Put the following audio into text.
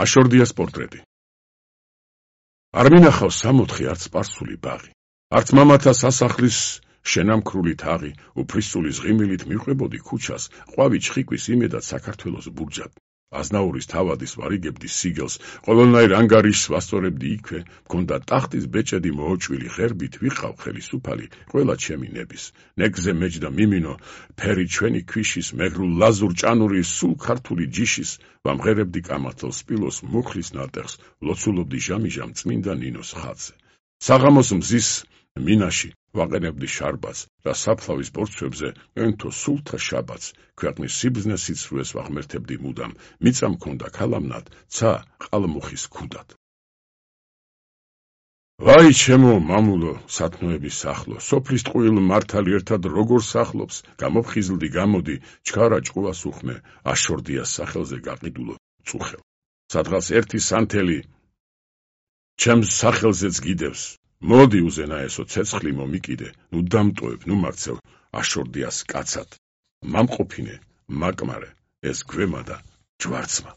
აშორდიას პორტრეტი. არ მინახავს სამოთხე არც სპარსული ბაღი, არც მამათა სასახლის შენამქრული თაღი, უფლისწულის ღიმილით მიყვებოდი ქუჩას, ყვავი ჩხიკვის იმედად საქართველოს ბურჯად. აზნაურის თავადის ვარიგებდი სიგელს, ყველანაირ ანგარიშს ვასწორებდი იქვე, მქონდა ტახტის ბეჭედი მოოჭვილი ღერბით, ვიყავ ხელისუფალი ყველა ჩემი ნების. ნეგზე მეჯდა მიმინო, ფერი ჩვენი ქვიშის, მეგრულ ლაზურ ჭანური სულ ქართული ჯიშის, ვამღერებდი კამათელ სპილოს მუხლის ნატეხს, ლოცულობდი ჟამიჟამ წმინდა ნინოს ხატზე. საღამოს მზის მინაში ვაყენებდი შარბაც და საფლავის ბორცვებზე ენთო სულთა შაბათს, ქვეყნის სიბრძნეს სიცრუეს ვაღმერთებდი მუდამ, მიწა მქონდა ქალამნად, ცა ყალმუხის ქუდად. ვაი ჩემო მამულო, სათნოების სახლო, სოფლის ტყუილ მართალი ერთად როგორ სახლობს, გამოფხიზლდი გამოდი, ჩქარა ჭყუას უხმე, აშორდიას სახელზე გაყიდულო წუხელ. სადღაც ერთი სანთელი ჩემს სახელზეც გიდევს. მოდი უზენაესო ცეცხლი მომიკიდე, ნუ დამტოვებ, ნუ მაქცევ, აშორდიას კაცად. მამყოფინე, მაკმარე, ეს გვემა და ჯვარცმა.